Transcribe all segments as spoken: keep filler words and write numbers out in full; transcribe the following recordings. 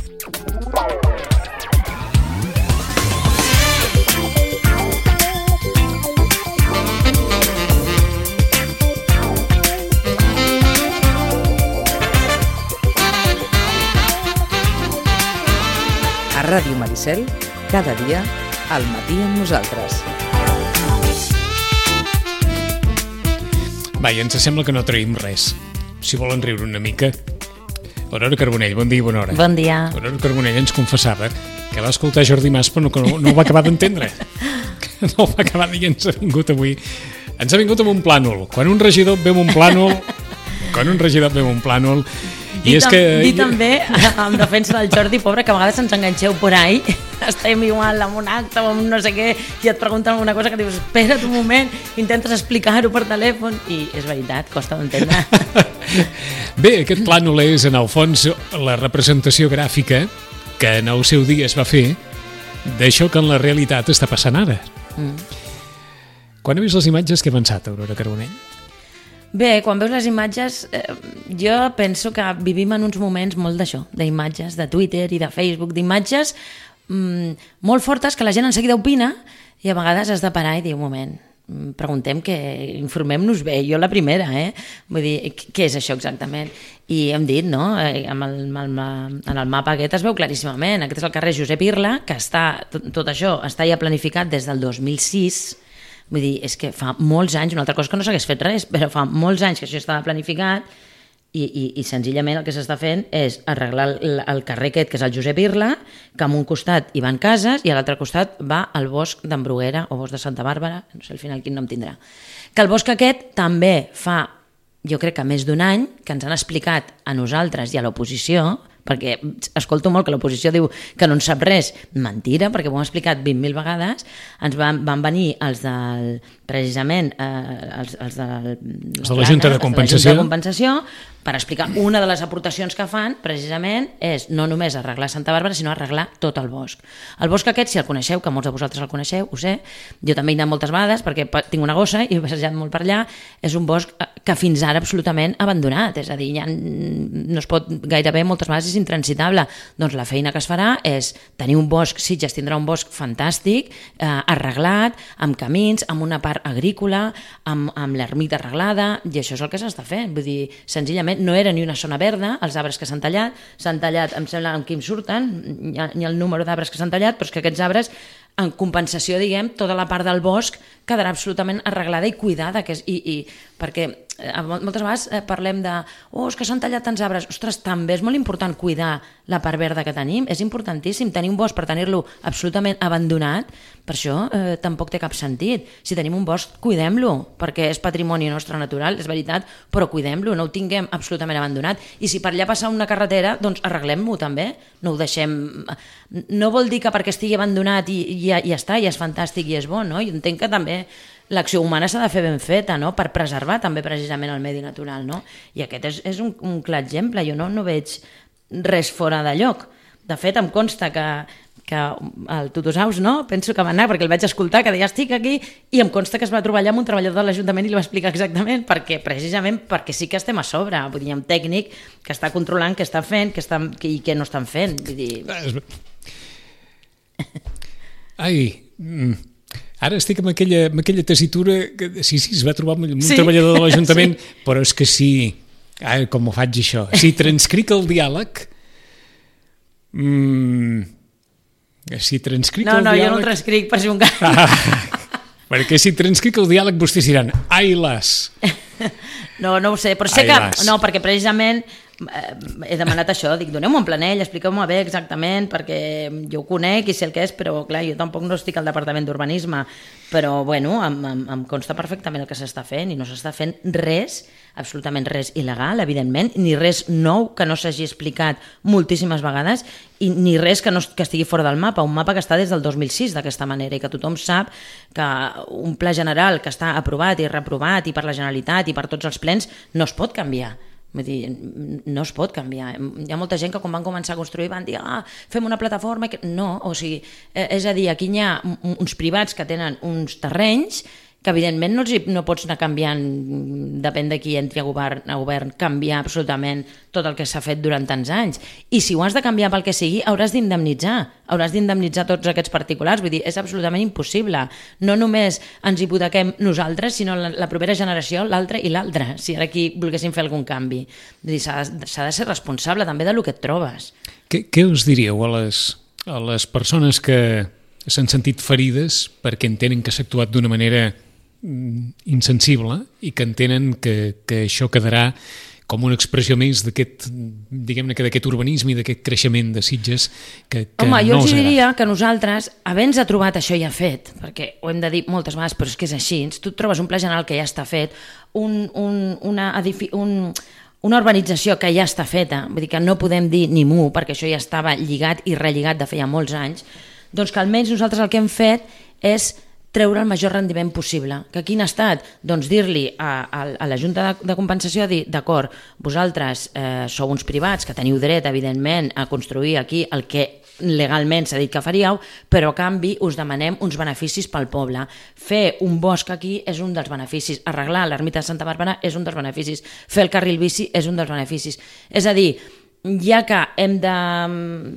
A Ràdio Maricel, cada dia, al matí amb nosaltres. Va, i ens sembla que no traïm res. Si volen riure una mica. Aurora Carbonell, bon dia i bona hora. Bon dia. Aurora Carbonell ens confessava que va escoltar Jordi Mas però no, no ho va acabar d'entendre. No ho va acabar i ens ha vingut avui. Ens ha vingut amb un plànol. Quan un regidor veu un plànol... Quan un regidor veu un plànol... I és que... Dir també, en defensa del Jordi, pobre, que a vegades ens enganxeu por ahí, estem igual amb un acte o amb un no sé què, i et pregunten alguna cosa que dius, espera't un moment, intentes explicar-ho per telèfon, i és veritat, costa d'entendre. Bé, aquest plànol és, en el fons, la representació gràfica que en el seu dia es va fer d'això que en la realitat està passant ara. Mm. Quan he vist les imatges, què he pensat, Aurora Carbonell? Bé, quan veus les imatges, eh, jo penso que vivim en uns moments molt d'això, d'imatges, de Twitter i de Facebook, d'imatges mm, molt fortes que la gent en seguida opina i a vegades has de parar i dir, un moment, preguntem que informem-nos bé, jo la primera, eh? Vull dir, què és això exactament? I hem dit, no?, amb el, amb el, en el mapa aquest es veu claríssimament, aquest és el carrer Josep Irla, que està, tot, tot això està ja planificat des del dos mil sis. Vull dir, és que fa molts anys, una altra cosa que no s'hagués fet res, però fa molts anys que això estava planificat i, i, i senzillament el que s'està fent és arreglar el, el carrer aquest, que és el Josep Irla, que en un costat hi van cases i a l'altre costat va el bosc d'en Bruguera o bosc de Santa Bàrbara, no sé al final quin nom tindrà. Que el bosc aquest també fa, jo crec que més d'un any, que ens han explicat a nosaltres i a l'oposició, perquè escolto molt que l'oposició diu que no en sap res, mentira, perquè ho hem explicat vint mil vegades, ens van, van venir els del, precisament, eh, els, els de, els de la Junta de Compensació, de Compensació per explicar una de les aportacions que fan, precisament, és no només arreglar Santa Bàrbara, sinó arreglar tot el bosc. El bosc aquest, si el coneixeu, que molts de vosaltres el coneixeu, ho sé, jo també he anat moltes vegades, perquè tinc una gossa i he passejat molt per allà, és un bosc que fins ara absolutament abandonat, és a dir, ja no es pot gairebé moltes vegades és intransitable. Doncs la feina que es farà és tenir un bosc, Sitges tindrà un bosc fantàstic, eh, arreglat, amb camins, amb una part agrícola, amb, amb l'ermita arreglada, i això és el que s'està fent. Vull dir, senzillament no era ni una zona verda, els arbres que s'han tallat, s'han tallat, em sembla, amb qui em surten, hi ha, hi ha el número d'arbres que s'han tallat, però és que aquests arbres, en compensació, diguem, tota la part del bosc quedarà absolutament arreglada i cuidada, que és, i, i, perquè eh, moltes vegades eh, parlem de oh, és que s'han tallat tants arbres, ostres, també és molt important cuidar la part verda que tenim, és importantíssim tenir un bosc per tenir-lo absolutament abandonat, per això eh, tampoc té cap sentit. Si tenim un bosc, cuidem-lo, perquè és patrimoni nostre natural, és veritat, però cuidem-lo, no ho tinguem absolutament abandonat, i si per allà passa una carretera, doncs arreglem-ho també, no ho deixem... No vol dir que perquè estigui abandonat i, i ja, ja està, ja és fantàstic i és bo, no? Jo entenc que també l'acció humana s'ha de fer ben feta, no?, per preservar també precisament el medi natural, no? I aquest és, és un, un clar exemple, jo no, no veig res fora de lloc. De fet, em consta que, que el Tutusaus, no?, penso que va anar, perquè el vaig escoltar, que deia estic aquí, i em consta que es va trobar allà amb un treballador de l'Ajuntament i li va explicar exactament, perquè precisament perquè sí que estem a sobre, vull dir, hi ha un tècnic que està controlant què està fent què està, i què no estan fent, vull dir... Ai... Mm. Ara estic amb aquella, amb aquella tessitura que sí, sí, es va trobar amb un sí. treballador de l'Ajuntament, sí. Però és que sí, ah, com ho faig això? Si transcric el diàleg... Mm, si transcric no, el no, diàleg... No, no, jo no el transcric per si un cas. Ah, perquè si transcric el diàleg vostès diran, ai las... No, no ho sé, però sé ai, que... Las. No, perquè precisament... he demanat això, dic, doneu-me un planell, expliqueu-me bé exactament, perquè jo ho conec i sé el que és, però clar, jo tampoc no estic al departament d'urbanisme, però bueno, em, em, em consta perfectament el que s'està fent i no s'està fent res, absolutament res il·legal, evidentment, ni res nou que no s'hagi explicat moltíssimes vegades i ni res que, no, que estigui fora del mapa, un mapa que està des del dos mil sis d'aquesta manera i que tothom sap que un pla general que està aprovat i reprovat i per la Generalitat i per tots els plens no es pot canviar. Vull dir, no es pot canviar. Hi ha molta gent que quan van començar a construir van dir ah, fem una plataforma... No, o sigui, és a dir, aquí hi ha uns privats que tenen uns terrenys que evidentment no, els hi, no pots anar canviant, depèn de qui entri a govern, a govern, canviar absolutament tot el que s'ha fet durant tants anys. I si ho has de canviar pel que sigui, hauràs d'indemnitzar, hauràs d'indemnitzar tots aquests particulars, vull dir, és absolutament impossible. No només ens hipotequem nosaltres, sinó la, la propera generació, l'altra i l'altra, si ara aquí volguéssim fer algun canvi. Vull dir, s'ha de, s'ha de ser responsable també del que et trobes. Què, què us diríeu a les, a les persones que s'han sentit ferides perquè entenen que s'ha actuat d'una manera insensible i que entenen que, que això quedarà com una expressió més d'aquest, diguem-ne, que d'aquest urbanisme i d'aquest creixement de Sitges que, que Home, jo no els us diria que nosaltres, havent-nos trobat això ja fet, perquè ho hem de dir moltes vegades, però és que és així, tu et trobes un pla general que ja està fet, un, un, una, edifi, un, una urbanització que ja està feta, vull dir que no podem dir ni mu, perquè això ja estava lligat i relligat de feia molts anys, doncs que almenys nosaltres el que hem fet és treure el major rendiment possible. Que quin ha estat? Doncs dir-li a, a, a la Junta de, de Compensació, dir, d'acord, vosaltres eh, sou uns privats que teniu dret, evidentment, a construir aquí el que legalment s'ha dit que faríeu, però a canvi us demanem uns beneficis pel poble. Fer un bosc aquí és un dels beneficis, arreglar l'ermita de Santa Bàrbara és un dels beneficis, fer el carril bici és un dels beneficis. És a dir, ja que hem de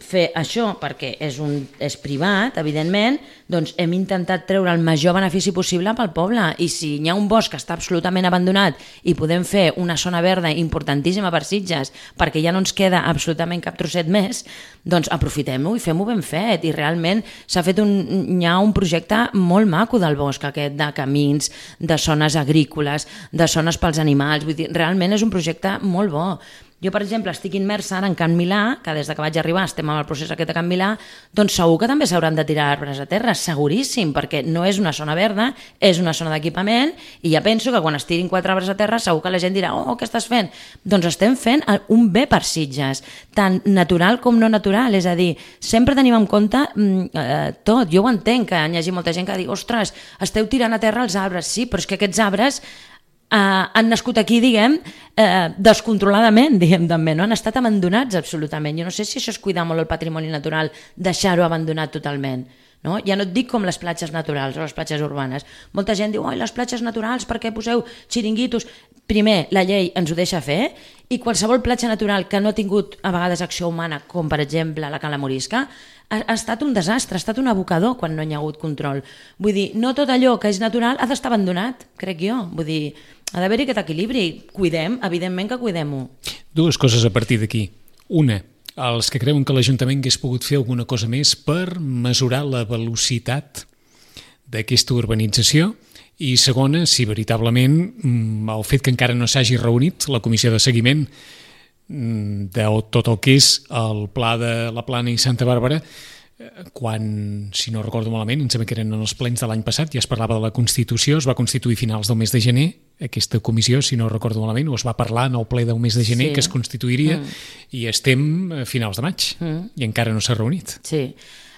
fer això perquè és, un, és privat, evidentment, doncs hem intentat treure el major benefici possible pel poble, i si hi ha un bosc que està absolutament abandonat i podem fer una zona verda importantíssima per Sitges perquè ja no ens queda absolutament cap trosset més, doncs aprofitem-ho i fem-ho ben fet. I realment s'ha fet un, hi ha un projecte molt maco del bosc aquest, de camins, de zones agrícoles, de zones pels animals, vull dir, realment és un projecte molt bo. Jo, per exemple, estic immersa ara en Can Milà, que des que vaig arribar estem en el procés aquest de Can Milà, doncs segur que també s'hauran de tirar arbres a terra, seguríssim, perquè no és una zona verda, és una zona d'equipament, i ja penso que quan es tirin quatre arbres a terra segur que la gent dirà, oh, què estàs fent? Doncs estem fent un bé per Sitges, tant natural com no natural, és a dir, sempre tenim en compte eh, tot. Jo ho entenc, que hi hagi molta gent que digui, ostres, esteu tirant a terra els arbres, sí, però és que aquests arbres Uh, han nascut aquí, diguem, uh, descontroladament, diguem, també, no? Han estat abandonats absolutament. Jo no sé si això és cuidar molt el patrimoni natural, deixar-ho abandonat totalment. No? Ja no et dic com les platges naturals o les platges urbanes. Molta gent diu, oi, les platges naturals, per què poseu xiringuitos? Primer, la llei ens ho deixa fer, i qualsevol platja natural que no ha tingut a vegades acció humana, com per exemple la Cala Morisca, ha, ha estat un desastre, ha estat un abocador quan no hi ha hagut control. Vull dir, no tot allò que és natural ha d'estar abandonat, crec jo. Vull dir, ha d'haver-hi aquest equilibri. Cuidem, evidentment que cuidem-ho. Dues coses a partir d'aquí. Una, els que creuen que l'Ajuntament hagués pogut fer alguna cosa més per mesurar la velocitat d'aquesta urbanització, i segona, si veritablement el fet que encara no s'hagi reunit la comissió de seguiment de tot el que és el pla de la Plana i Santa Bàrbara, quan, si no recordo malament, em sembla que eren en els plens de l'any passat, ja es parlava de la Constitució, es va constituir a finals del mes de gener, aquesta comissió, si no recordo malament, o es va parlar en el ple del mes de gener, sí, que es constituiria, mm. i estem a finals de maig, mm. i encara no s'ha reunit. Sí.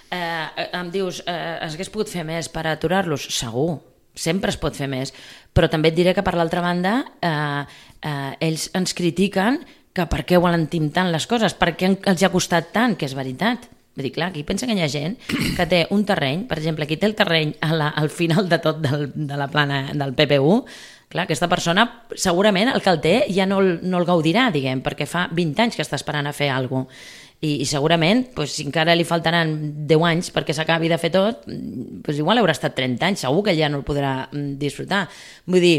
Eh, em dius, eh, es hagués pogut fer més per aturar-los? Segur, sempre es pot fer més, però també et diré que per l'altra banda eh, eh, ells ens critiquen que per què volen tant les coses, per què els ha costat tant, que és veritat. Vull dir, clar, aquí pensa que hi ha gent que té un terreny, per exemple, aquí té el terreny a la, al final de tot del, de la plana del P P U, clar, aquesta persona segurament el que el té ja no, no el gaudirà, diguem, perquè fa vint anys que està esperant a fer alguna cosa. I, i segurament, doncs, si encara li faltaran deu anys perquè s'acabi de fer tot, doncs igual haurà estat trenta anys, segur que ja no el podrà disfrutar. Vull dir,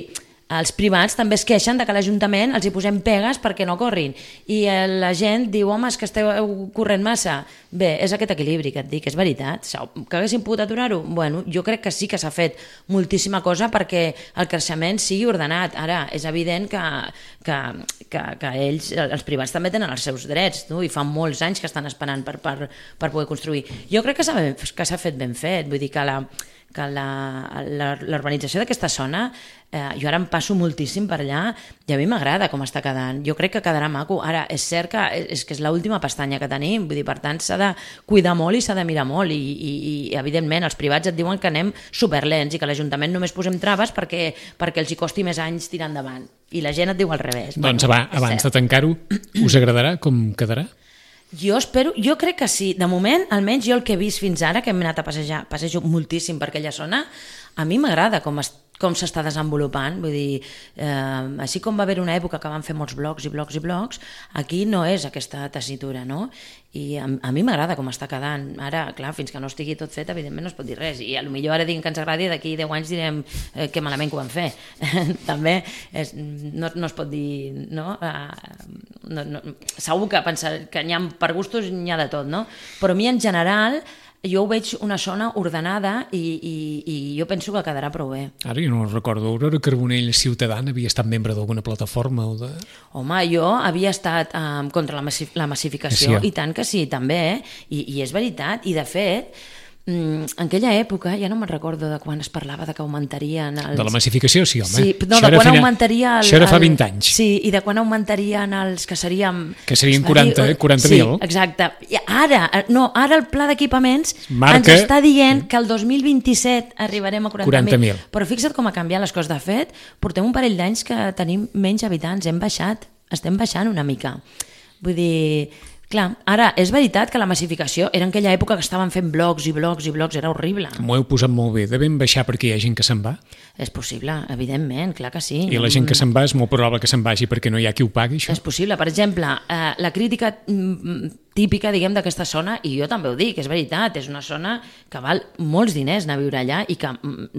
els privats també es queixen de que l'Ajuntament els hi posem pegues perquè no corrin, i la gent diu, home, és que esteu corrent massa. Bé, és aquest equilibri que et dic, és veritat. Que haguéssim pogut aturar-ho? Bueno, jo crec que sí que s'ha fet moltíssima cosa perquè el creixement sigui ordenat. Ara, és evident que, que, que, que ells, els privats, també tenen els seus drets, no? I fa molts anys que estan esperant per, per, per poder construir. Jo crec que s'ha, que s'ha fet ben fet, vull dir que la que l'urbanització d'aquesta zona, eh, jo ara em passo moltíssim per allà i a mi m'agrada com està quedant. Jo crec que quedarà maco. Ara, és cert que és, que és l'última pestanya que tenim, vull dir, per tant s'ha de cuidar molt i s'ha de mirar molt, i, i, i evidentment els privats et diuen que anem superlents i que l'Ajuntament només posem traves perquè, perquè els hi costi més anys tirar endavant. I la gent et diu al revés. Doncs bueno, va, abans cert. de tancar-ho, us agradarà com quedarà? Jo espero, jo crec que sí. De moment, almenys jo el que he vist fins ara, que hem anat a passejar, passejo moltíssim per aquella zona, a mi m'agrada com, es, com s'està desenvolupant, vull dir, eh, així com va haver una època que van fer molts blogs i blogs i blogs, aquí no és aquesta tessitura, no? I a, a mi m'agrada com està quedant. Ara, clar, fins que no estigui tot fet, evidentment no es pot dir res, i potser ara diguem que ens agradi, d'aquí deu anys direm eh, que malament que ho van fer. També és, no, no es pot dir, no? Uh, no, no? Segur que pensar que n'hi ha per gustos, n'hi ha de tot, no? Però a mi en general jo ho veig una zona ordenada i, i, i jo penso que quedarà prou bé. Ara jo no recordo, Aurora Carbonell Ciutadana havia estat membre d'alguna plataforma o de... Home, jo havia estat um, contra la, massi la massificació, sí, i tant que sí, també, eh? I, i és veritat, i de fet, en aquella època, ja no me'n recordo de quan es parlava de que augmentarien els... De la massificació, sí, home. Sí, no, això de quan fina... augmentaria... El, això era fa vint anys. Sí, i de quan augmentarien els que seríem... Que serien quaranta mil. Sí, exacte. I ara, no, ara el pla d'equipaments Marca... ens està dient que el dos mil vint-i-set arribarem a quaranta mil. Però fixa't com ha canviat les coses. De fet, portem un parell d'anys que tenim menys habitants, hem baixat, estem baixant una mica. Vull dir... Clar, ara, és veritat que la massificació era en aquella època que estaven fent blogs i blogs i blogs, era horrible. M'ho heu posat molt bé. Devem baixar perquè hi ha gent que se'n va? És possible, evidentment, clar que sí. I la gent que se'n va és molt probable que se'n vagi perquè no hi ha qui ho pagui, això? És possible. Per exemple, eh, la crítica típica, diguem, d'aquesta zona, i jo també ho dic, és veritat, és una zona que val molts diners anar a viure allà i que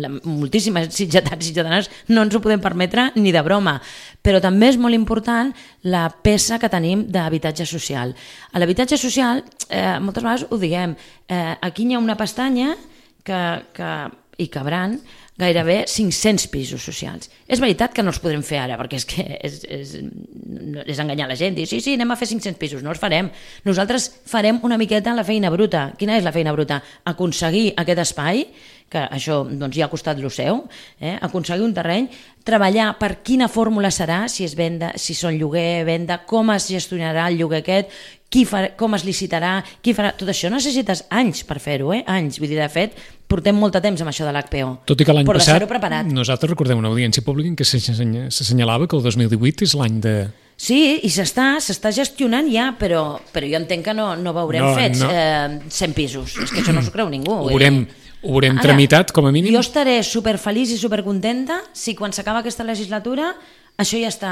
la, moltíssimes sitgetats i sitjatanes no ens ho podem permetre ni de broma. Però també és molt important la peça que tenim d'habitatge social. A l'habitatge social, eh, moltes vegades ho diguem, eh, aquí hi ha una pestanya que, que hi cabran gairebé cinc-cents pisos socials. És veritat que no els podrem fer ara, perquè és que és, és, és enganyar la gent, dir sí, sí, anem a fer cinc-cents pisos, no els farem. Nosaltres farem una miqueta la feina bruta. Quina és la feina bruta? Aconseguir aquest espai, que això doncs, ja ha costat lo seu, eh? aconseguir un terreny, treballar per quina fórmula serà, si és venda, si són lloguer, venda, com es gestionarà el lloguer aquest, qui farà, com es licitarà, qui farà... Tot això necessites anys per fer-ho, eh? anys. Vull dir, de fet, portem molt de temps amb això de l'H P O. Tot i que l'any passat, nosaltres recordem una audiència pública en què s'assenyalava que el dos mil divuit és l'any de... Sí, i s'està s'està gestionant ja, però, però jo entenc que no, no veurem no, fets no. Eh, cent pisos. És que això no s'ho creu ningú. Ho veurem, ho veurem Ara, tramitat, com a mínim. Jo estaré superfeliç i supercontenta si quan s'acaba aquesta legislatura això ja està,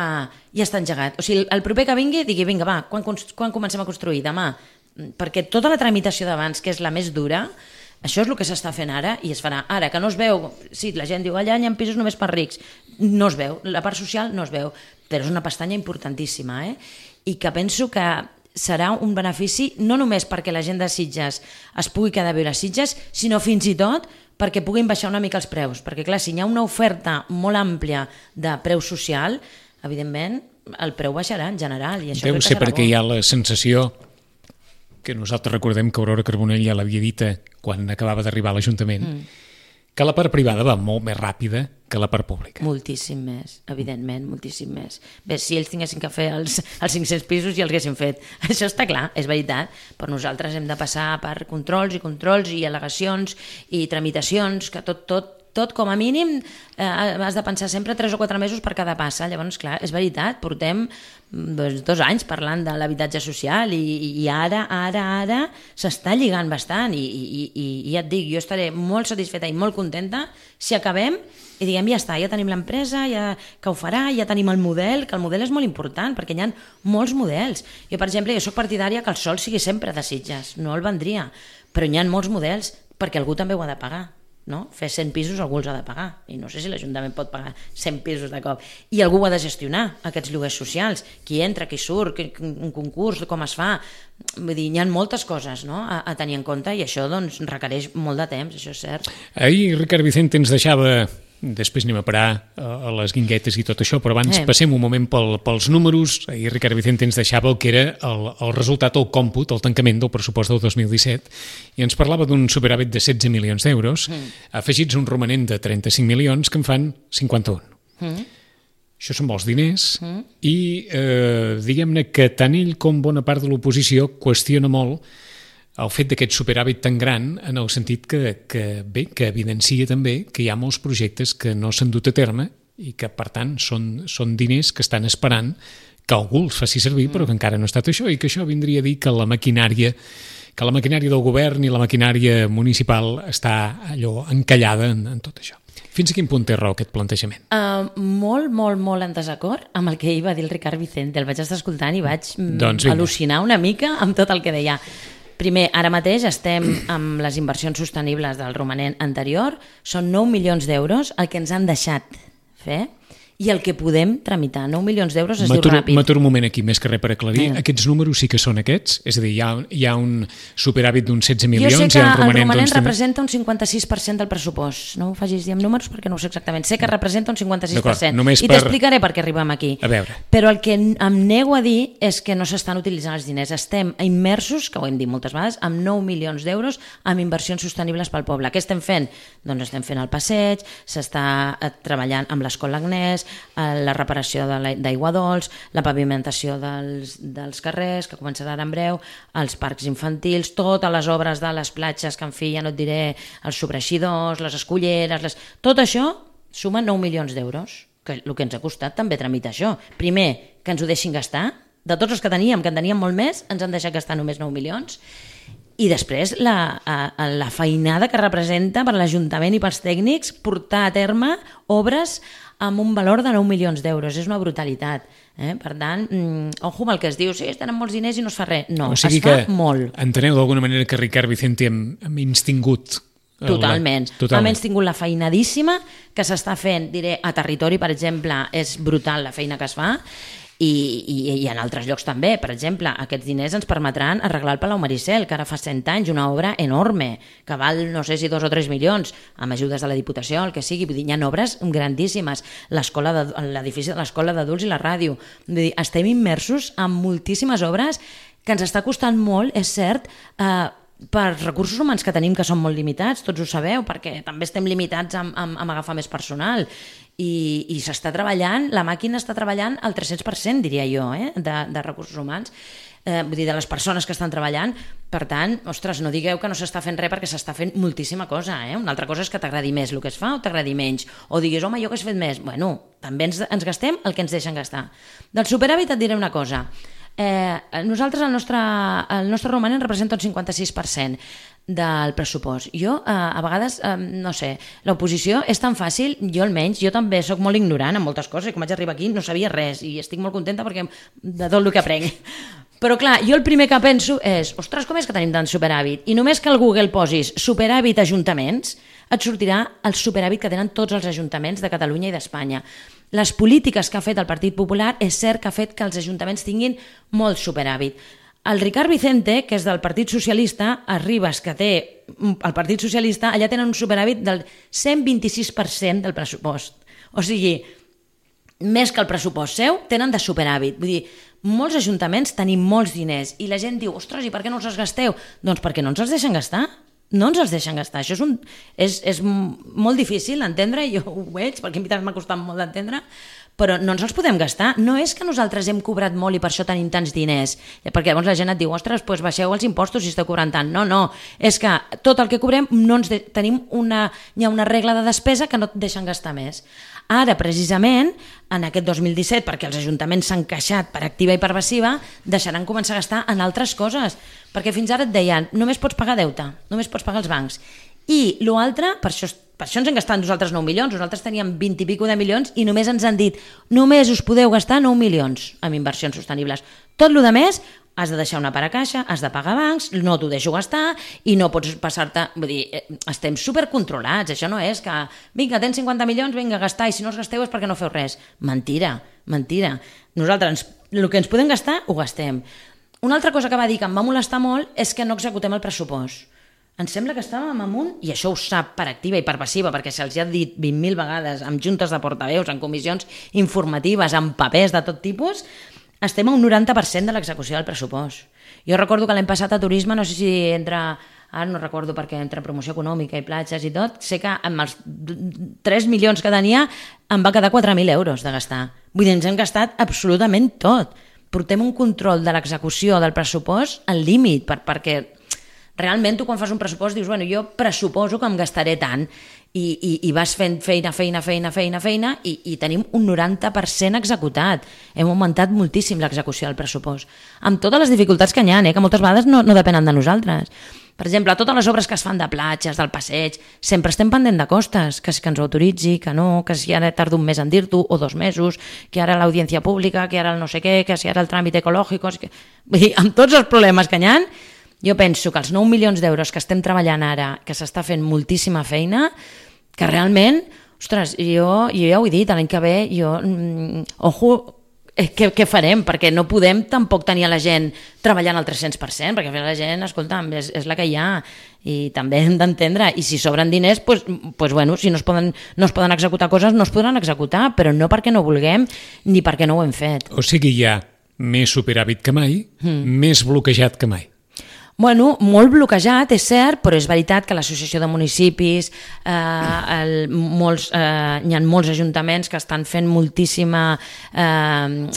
ja està engegat. O sigui, el proper que vingui, digui, vinga, va, quan, quan comencem a construir? Demà. Perquè tota la tramitació d'abans, que és la més dura, això és el que s'està fent ara i es farà. Ara, que no es veu, sí, la gent diu, allà hi ha pisos només per rics. No es veu, la part social no es veu, però és una pestanya importantíssima, eh? I que penso que serà un benefici no només perquè la gent de Sitges es pugui quedar a viure a Sitges, sinó fins i tot perquè puguin baixar una mica els preus. Perquè, clar, si hi ha una oferta molt àmplia de preu social, evidentment, el preu baixarà en general. I això deu ser perquè bo. Hi ha la sensació que nosaltres recordem que Aurora Carbonell ja l'havia dit quan acabava d'arribar a l'Ajuntament, mm. que la part privada va molt més ràpida que la part pública. Moltíssim més, evidentment, moltíssim més. Bé, si ells tinguessin que fer els, els cinc-cents pisos ja els haguessin fet. Això està clar, és veritat, però nosaltres hem de passar per controls i controls i al·legacions i tramitacions, que tot, tot, tot com a mínim eh, has de pensar sempre tres o quatre mesos per cada passa. Llavors, clar, és veritat, portem doncs, dos anys parlant de l'habitatge social i, i ara, ara, ara s'està lligant bastant i, i, i, i ja et dic, jo estaré molt satisfeta i molt contenta si acabem i diguem, ja està, ja tenim l'empresa ja, que ho farà, ja tenim el model, que el model és molt important perquè hi ha molts models. Jo, per exemple, jo soc partidària que el sol sigui sempre de Sitges, no el vendria, però hi ha molts models perquè algú també ho ha de pagar. No? Fer cent pisos algú els ha de pagar i no sé si l'Ajuntament pot pagar cent pisos de cop i algú ha de gestionar aquests lloguers socials, qui entra, qui surt, un concurs, com es fa. Vull dir, hi ha moltes coses, no? a, a tenir en compte i això doncs, requereix molt de temps, això és cert. Ahir Ricard Vicente ens deixava, després anem a parar a les guinguetes i tot això, però abans eh. passem un moment pel, pels números. Ahir Ricard Vicente ens deixava el que era el, el resultat, el còmput, el tancament del pressupost del dos mil disset i ens parlava d'un superàvit de setze milions d'euros, mm. afegits un romanent de trenta-cinc milions que en fan cinquanta-un. Mm. Això són molts diners mm. i eh, diguem-ne que tant ell com bona part de l'oposició qüestiona molt el fet d'aquest superàvit tan gran en el sentit que, que, bé, que evidencia també que hi ha molts projectes que no s'han dut a terme i que, per tant, són, són diners que estan esperant que algú els faci servir, però que encara no ha estat això, i que això vindria a dir que la maquinària que la maquinària del govern i la maquinària municipal està allò encallada en, en tot això. Fins a quin punt té raó aquest plantejament? Uh, molt, molt, molt en desacord amb el que ahir va dir el Ricard Vicente. El vaig estar escoltant i vaig mm, doncs al·lucinar una mica amb tot el que deia. Primer, ara mateix estem amb les inversions sostenibles del romanent anterior, són nou milions d'euros el que ens han deixat fer i el que podem tramitar. nou milions d'euros es diu ràpid. M'aturo un moment aquí, més que res per aclarir. Eh. Aquests números sí que són aquests? És a dir, hi ha, hi ha un superàvit d'uns setze milions... Jo sé que el romanent, el romanent doncs, representa un cinquanta-sis per cent del pressupost. No ho facis dir amb números perquè no ho sé exactament. Sé que representa un cinquanta-sis per cent. I per... t'explicaré per què arribem aquí. A veure. Però el que em nego a dir és que no s'estan utilitzant els diners. Estem immersos, que ho hem dit moltes vegades, amb nou milions d'euros amb inversions sostenibles pel poble. Què estem fent? Doncs estem fent el passeig, s'està treballant amb l'Escola Agnès, la reparació d'aigua dolç, la pavimentació dels, dels carrers, que començarà en breu, els parcs infantils, totes les obres de les platges, que en fi, ja no et diré, els sobreixidors, les esculleres, les... tot això suma nou milions d'euros, que el que ens ha costat també tramitar això. Primer, que ens ho deixin gastar, de tots els que teníem, que en teníem molt més, ens han deixat gastar només nou milions, i després la, la feinada que representa per l'Ajuntament i pels tècnics portar a terme obres amb un valor de nou milions d'euros. És una brutalitat. Eh? Per tant, mm, ojo amb el que es diu, sí, tenen molts diners i no es fa res. No, o sigui es fa que molt. Enteneu d'alguna manera que Ricard Vicente hem, hem instingut Totalment. La... Totalment. Hem tingut la feinadíssima que s'està fent, diré, a territori, per exemple, és brutal la feina que es fa, i, i, i en altres llocs també. Per exemple, aquests diners ens permetran arreglar el Palau Maricel, que ara fa cent anys, una obra enorme, que val no sé si dos o tres milions, amb ajudes de la Diputació, el que sigui. Vull dir, hi ha obres grandíssimes. L'edifici de l'Escola d'Adults i la ràdio. Vull dir, estem immersos en moltíssimes obres que ens està costant molt, és cert, eh, per recursos humans que tenim, que són molt limitats, tots ho sabeu, perquè també estem limitats amb, amb, amb agafar més personal. I, i s'està treballant, la màquina està treballant al tres-cents per cent, diria jo, eh, de, de recursos humans, eh, vull dir, de les persones que estan treballant. Per tant, ostres, no digueu que no s'està fent res, perquè s'està fent moltíssima cosa. Eh? Una altra cosa és que t'agradi més el que es fa o t'agradi menys, o diguis, home, jo que he fet més. Bueno, també ens, ens gastem el que ens deixen gastar. Del superàvit et diré una cosa. Eh, nosaltres, el nostre, el nostre romanent representa un cinquanta-sis per cent del pressupost. Jo, eh, a vegades, eh, no sé, l'oposició és tan fàcil, jo almenys, jo també sóc molt ignorant en moltes coses, i quan vaig arribar aquí no sabia res, i estic molt contenta perquè de tot el que aprenc. Però clar, jo el primer que penso és, ostres, com és que tenim tant superàvit? I només que al Google posis superàvit ajuntaments, et sortirà el superàvit que tenen tots els ajuntaments de Catalunya i d'Espanya. Les polítiques que ha fet el Partit Popular és cert que ha fet que els ajuntaments tinguin molt superàvit. El Ricard Vicente, que és del Partit Socialista, arribes que té el Partit Socialista, allà tenen un superàvit del cent vint-i-sis per cent del pressupost. O sigui, més que el pressupost seu, tenen de superàvit. Vull dir, molts ajuntaments tenim molts diners i la gent diu, ostres, i per què no els els gasteu? Doncs perquè no ens els deixen gastar. No ens els deixen gastar. Això és, un, és, és molt difícil d'entendre, jo ho veig, perquè a mi m'ha costat molt d'entendre, però no ens els podem gastar. No és que nosaltres hem cobrat molt i per això tenim tants diners, perquè llavors la gent et diu, ostres, doncs baixeu els impostos si esteu cobrant tant. No, no, és que tot el que cobrem no ens de... tenim una... hi ha una regla de despesa que no et deixen gastar més. Ara, precisament, en aquest dos mil disset, perquè els ajuntaments s'han queixat per activa i per passiva, deixaran començar a gastar en altres coses, perquè fins ara et deien, només pots pagar deute, només pots pagar els bancs. I l'altre, per això, per això ens hem gastat nosaltres nou milions, nosaltres teníem vint i pico de milions i només ens han dit, només us podeu gastar nou milions en inversions sostenibles. Tot el que més, has de deixar una part a caixa, has de pagar bancs, no t'ho deixo gastar i no pots passar-te... Vull dir, estem supercontrolats, això no és que vinga, tens cinquanta milions, vinga, a gastar, i si no els gasteu és perquè no feu res. Mentira, mentira. Nosaltres, el que ens podem gastar, ho gastem. Una altra cosa que va dir que em va molestar molt és que no executem el pressupost. Em sembla que estàvem amunt, i això ho sap per activa i per passiva, perquè se'ls ha dit vint mil vegades, amb juntes de portaveus, en comissions informatives, amb papers de tot tipus, estem a un noranta per cent de l'execució del pressupost. Jo recordo que l'any passat a turisme, no sé si entra, ara no recordo perquè entre promoció econòmica i platges i tot, sé que amb els tres milions que tenia em va quedar quatre mil euros de gastar. Vull dir, ens hem gastat absolutament tot. Portem un control de l'execució del pressupost al límit, per, perquè realment tu quan fas un pressupost dius, bueno, jo pressuposo que em gastaré tant, i, i, i vas fent feina, feina, feina, feina, feina, i, i tenim un noranta per cent executat. Hem augmentat moltíssim l'execució del pressupost, amb totes les dificultats que hi ha, eh, que moltes vegades no, no depenen de nosaltres. Per exemple, totes les obres que es fan de platges, del passeig, sempre estem pendent de costes, que, que ens ho autoritzi, que no, que si ara tarda un mes en dir-t'ho, o dos mesos, que ara l'audiència pública, que ara el no sé què, que si ara el tràmit ecològic... Que... Vull dir, amb tots els problemes que hi ha, jo penso que els nou milions d'euros que estem treballant ara, que s'està fent moltíssima feina, que realment, ostres, jo, jo ja ho he dit, l'any que ve, jo... Mm, ojo... Què, què farem? Perquè no podem tampoc tenir a la gent treballant al tres-cents per cent, perquè la gent, escolta'm, és, és la que hi ha i també hem d'entendre, i si sobren diners pues, pues bueno, si no es, poden, no es poden executar coses, no es podran executar, però no perquè no vulguem ni perquè no ho hem fet. O sigui, hi ha més superàvit que mai, mm. més bloquejat que mai. Bueno, molt bloquejat, és cert, però és veritat que l'Associació de Municipis, eh, el, molts, eh, hi ha molts ajuntaments que estan fent moltíssima, eh,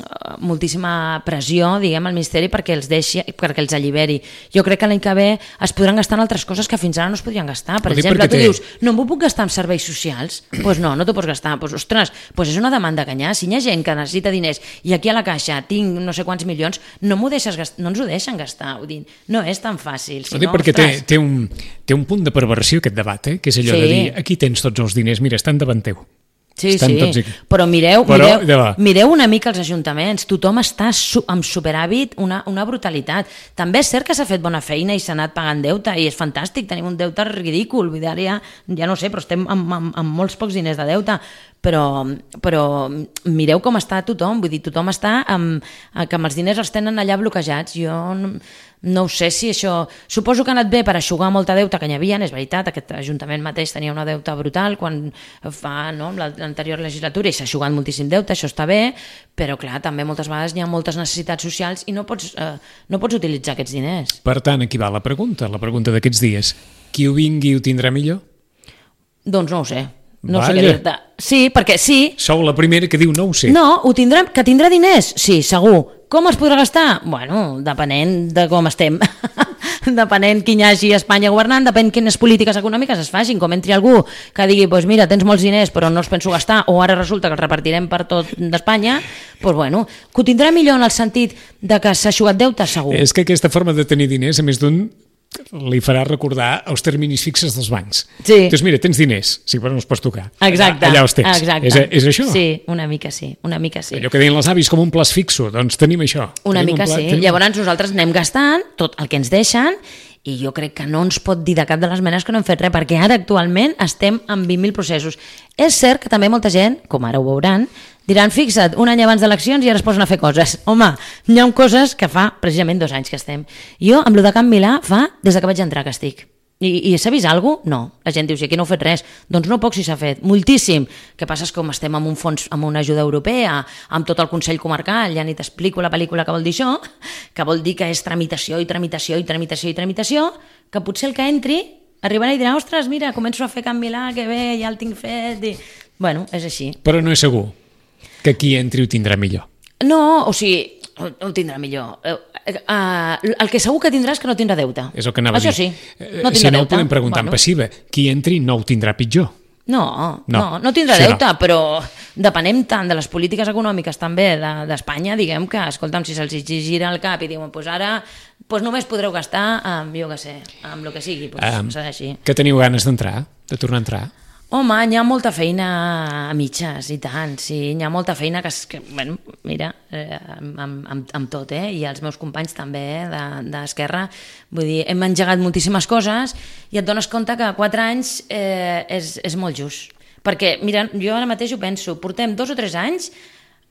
moltíssima pressió, diguem, al Ministeri perquè els deixi, perquè els alliberi. Jo crec que l'any que ve es podran gastar en altres coses que fins ara no es podrien gastar. Per exemple, tu té... dius, no m'ho puc gastar en serveis socials? Doncs pues no, no t'ho pots gastar. Pues, ostres, pues és una demanda que hi ha. Si hi ha gent que necessita diners i aquí a la caixa tinc no sé quants milions, no, m'ho deixes gastar, no ens ho deixen gastar. Ho dic, no és tan fàcil. Si no, perquè té, té, un, té un punt de perversió aquest debat, eh? Que és allò sí. de dir, aquí tens tots els diners, mira, estan davant teu. Sí, estan sí, però mireu, Però, mireu, mireu una mica els ajuntaments, tothom està su amb superàvit, una, una brutalitat. També és cert que s'ha fet bona feina i s'ha anat pagant deute, i és fantàstic, tenim un deute ridícul, vull dir, ja, ja no sé, però estem amb, amb, amb molts pocs diners de deute, però, però mireu com està tothom, vull dir, tothom està amb, que amb els diners els tenen allà bloquejats. Jo no, no ho sé si això... Suposo que ha anat bé per aixugar molta deuta que n'hi havia, és veritat, aquest ajuntament mateix tenia una deuta brutal quan fa no, l'anterior legislatura i s'ha aixugat moltíssim deute, això està bé, però clar, també moltes vegades hi ha moltes necessitats socials i no pots, eh, no pots utilitzar aquests diners. Per tant, aquí va la pregunta, la pregunta d'aquests dies. Qui ho vingui ho tindrà millor? Doncs no ho sé. No Vaja. sé què dir-te. Sí, perquè sí... Sou la primera que diu no ho sé. No, ho tindrà, que tindrà diners? Sí, segur. Com es podrà gastar? Bueno, depenent de com estem. Depenent qui hi hagi a Espanya governant, depèn quines polítiques econòmiques es facin. Com entri algú que digui, pues mira, tens molts diners però no els penso gastar, o ara resulta que els repartirem per tot d'Espanya, pues bueno, que ho tindrà millor en el sentit de que s'ha eixugat deute, segur. És que aquesta forma de tenir diners, a més d'un, li farà recordar els terminis fixes dels bancs. Sí. Doncs mira, tens diners, sí, però no els pots tocar. Exacte. Allà, allà els tens. Exacte. És, és això? Sí, una mica sí, una mica sí. Allò que deien els avis com un plaç fixo, doncs tenim això. Una tenim mica un pla, sí. tenim... Llavors nosaltres anem gastant tot el que ens deixen i jo crec que no ens pot dir de cap de les menes que no hem fet res, perquè ara actualment estem amb vint mil processos. És cert que també molta gent, com ara ho veuran, diran, fixa't, un any abans d'eleccions i ara es posen a fer coses. Home, hi ha coses que fa precisament dos anys que estem. Jo, amb lo de Can Milà, fa des que vaig entrar que estic. I, i s'ha vist alguna cosa? No. La gent diu, si aquí no heu fet res. Doncs no poc si s'ha fet. Moltíssim. Que passa és que com estem amb un fons, amb una ajuda europea, amb tot el Consell Comarcal, ja ni t'explico la pel·lícula que vol dir això, que vol dir que és tramitació i tramitació i tramitació i tramitació, que potser el que entri arribarà i dirà, ostres, mira, començo a fer Can Milà, que bé, ja el tinc fet. I... Bueno, és així. Però no és segur que qui entri ho tindrà millor. No, o sigui, ho tindrà millor. Uh, uh, el que segur que tindrà és que no tindrà deute. És el que anava Això a dir. sí, no tindrà si no deute. ho podem preguntar bueno. en passiva. Qui entri no ho tindrà pitjor. No, no, no, no tindrà sí, deute, no. Però depenem tant de les polítiques econòmiques també d'Espanya, de, diguem que, escolta'm, si se'ls gira el cap i diuen, pues ara pues només podreu gastar amb, jo què sé, amb el que sigui, pues, um, serà així. Que teniu ganes d'entrar, de tornar a entrar? Home, hi ha molta feina a mitges, i tant, sí, hi ha molta feina que, que bueno, mira, eh, amb, amb, amb tot, eh, i els meus companys també d'Esquerra, vull dir, hem engegat moltíssimes coses i et dones compte que quatre anys eh, és, és molt just. Perquè, mira, jo ara mateix ho penso, portem dos o tres anys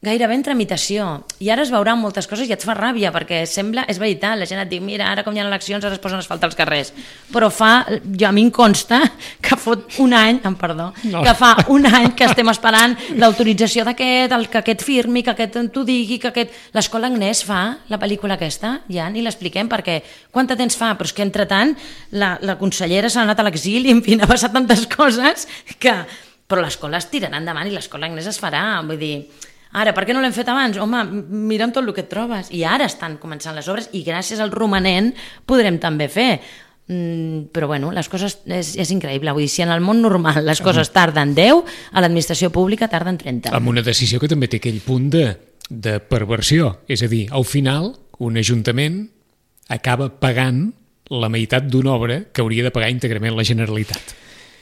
gairebé en tramitació, i ara es veuran moltes coses i et fa ràbia, perquè sembla, és veritat, la gent et diu, mira, ara com hi ha eleccions ara es posen asfalt als carrers, però fa, jo a mi em consta que fot un any, em perdó, no. que fa un any que estem esperant l'autorització d'aquest, que aquest firmi, que aquest t'ho digui, que aquest... L'Escola Agnès fa la pel·lícula aquesta, ja ni l'expliquem, perquè quant de temps fa? Però és que entretant la, la consellera s'ha anat a l'exili, en fi, ha passat tantes coses que... Però l'escola es tirarà endavant i l'Escola Agnès es farà, vull dir... Ara, per què no l'hem fet abans? Home, mira'm tot el que et trobes. I ara estan començant les obres i gràcies al romanent podrem també fer. Mm, però bueno, les coses és, és increïble. Vull dir, si en el món normal les coses tarden deu, a l'administració pública tarden trenta. Amb una decisió que també té aquell punt de, de perversió. És a dir, al final, un ajuntament acaba pagant la meitat d'una obra que hauria de pagar íntegrament la Generalitat.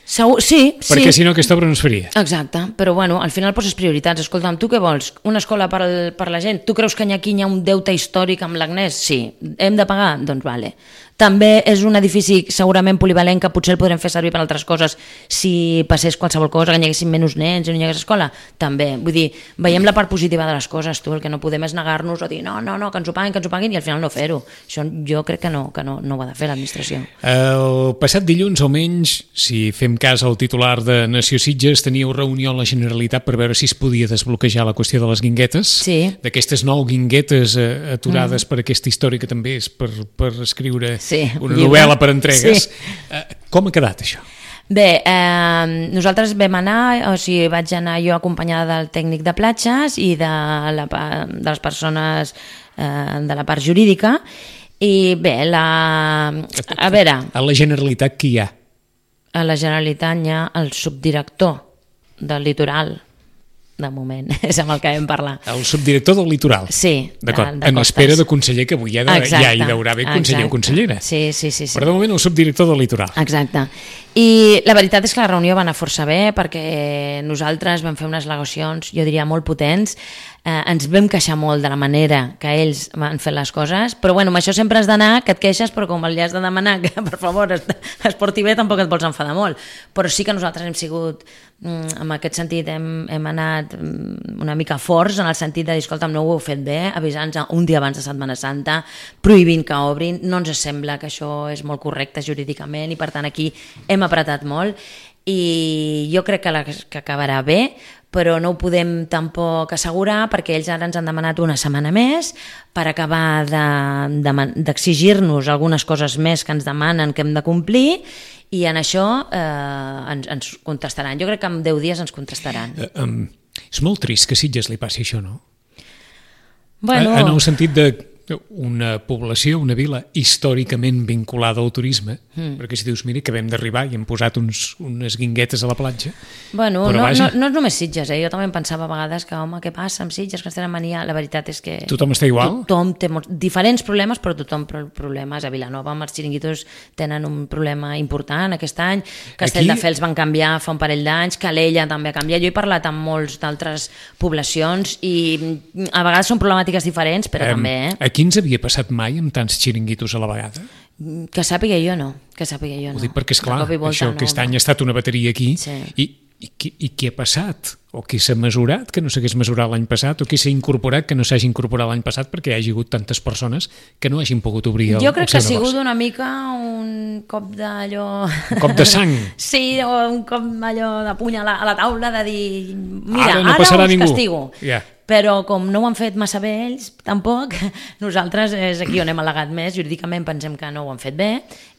Segur, sí, sí. Perquè si no aquesta obra no es faria. Exacte, però bueno, al final poses prioritats. Escolta'm, tu què vols? Una escola per, al, per la gent? Tu creus que aquí hi ha un deute històric amb l'Agnès? Sí. Hem de pagar? Doncs vale. També és un edifici segurament polivalent que potser el podrem fer servir per altres coses si passés qualsevol cosa, que hi haguessin menys nens i no hi hagués escola. També, vull dir, veiem la part positiva de les coses, tu, el que no podem és negar-nos o dir no, no, no, que ens ho paguin, que ens ho paguin i al final no fer-ho. Això jo crec que no, que no, no ho ha de fer l'administració. El passat dilluns, almenys, si fem cas al titular de Nació Sitges, teníeu reunió a la Generalitat per veure si es podia desbloquejar la qüestió de les guinguetes, sí. D'aquestes nou guinguetes eh, aturades mm. per aquesta història que també és per, per escriure sí, una llibre. Novel·la per entregues. Sí. Eh, com ha quedat això? Bé, eh, nosaltres vam anar, o sigui, vaig anar jo acompanyada del tècnic de platges i de, la, de les persones eh, de la part jurídica i bé, la... a veure... A la Generalitat qui hi ha? A la Generalitat hi ha el subdirector del litoral, de moment, és amb el que vam parlar. El subdirector del litoral? Sí, d'acord. De, de en espera de conseller, que avui ja, de, exacte, ja hi deurà haver conseller exacte. o consellera. Sí, sí, sí, sí. Però de moment el subdirector del litoral. Exacte. I la veritat és que la reunió va anar força bé perquè nosaltres vam fer unes al·legacions, jo diria, molt potents. Eh, ens vam queixar molt de la manera que ells van fer les coses, però bueno, amb això sempre has d'anar, que et queixes, però com li has de demanar que per favor es, es porti bé, tampoc et vols enfadar molt. Però sí que nosaltres hem sigut, en aquest sentit, hem, hem anat una mica forts en el sentit de dir, escolta'm, no ho heu fet bé, avisant-nos un dia abans de Setmana Santa, prohibint que obrin, no ens sembla que això és molt correcte jurídicament i per tant aquí hem apretat molt i jo crec que, la, que acabarà bé, però no ho podem tampoc assegurar perquè ells ara ens han demanat una setmana més per acabar d'exigir-nos de, de, algunes coses més que ens demanen que hem de complir i en això eh, ens, ens contestaran. Jo crec que en deu dies ens contestaran. Uh, um, és molt trist que a Sitges li passi això, no? Bueno... En el sentit de una població, una vila històricament vinculada al turisme, mm. perquè si dius, mira, que vam d'arribar i hem posat uns, unes guinguetes a la platja... Bueno, no, no, no és només Sitges, eh? Jo també em pensava a vegades que, home, què passa amb Sitges, que ens tenen mania? La veritat és que... Tothom està igual? Tothom té molts, diferents problemes, però tothom problemes. A Vilanova, amb els xiringuitos, tenen un problema important aquest any. Castelldefels van canviar fa un parell d'anys, Calella també ha canviat. Jo he parlat amb molts d'altres poblacions i a vegades són problemàtiques diferents, però um, també, eh? Aquí ens havia passat mai amb tants xiringuitos a la vegada? Que sàpiga jo no, que sàpiga jo no. Ho dic perquè, esclar, això no, aquest any ha estat una bateria aquí sí. i, i, i què ha passat? O què s'ha mesurat que no s'hagués mesurat l'any passat? O què s'ha incorporat que no s'hagi incorporat l'any passat perquè hi hagi hagut tantes persones que no hagin pogut obrir el, jo crec el seu que ha sigut negoci? una mica un cop d'allò... Un cop de sang? Sí, o un cop allò de puny a la, a la taula de dir mira, ara, no ara us ningú. castigo. Yeah. Però com no ho han fet massa bé ells, tampoc, nosaltres és aquí on hem al·legat més, jurídicament pensem que no ho han fet bé,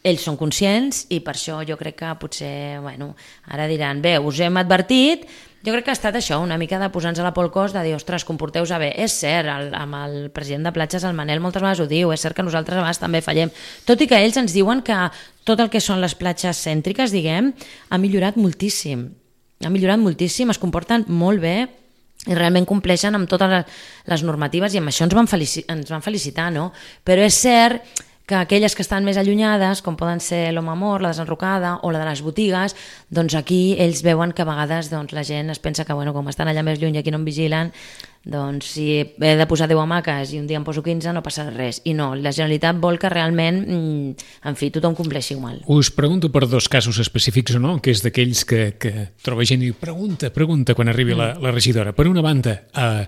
ells són conscients i per això jo crec que potser, bueno, ara diran, bé, us hem advertit, jo crec que ha estat això, una mica de posar-nos a la por el cos, de dir, ostres, comporteu-vos bé. És cert, el, amb el president de platges, el Manel, moltes vegades ho diu, és cert que nosaltres a vegades també fallem, tot i que ells ens diuen que tot el que són les platges cèntriques, diguem, ha millorat moltíssim, ha millorat moltíssim, es comporten molt bé, i realment compleixen amb totes les normatives i amb això ens van, felici- ens van felicitar, no? Però és cert que aquelles que estan més allunyades, com poden ser l'Home Amor, la Desenrocada o la de les botigues, doncs aquí ells veuen que a vegades doncs, la gent es pensa que bueno, com estan allà més lluny i aquí no em vigilen, doncs si he de posar deu hamaques i un dia em poso quinze no passa res. I no, la Generalitat vol que realment, en fi, tothom compleixi igual. Us pregunto per dos casos específics o no, que és d'aquells que, que troba gent i diu pregunta, pregunta quan arribi mm. la, la regidora. Per una banda, a,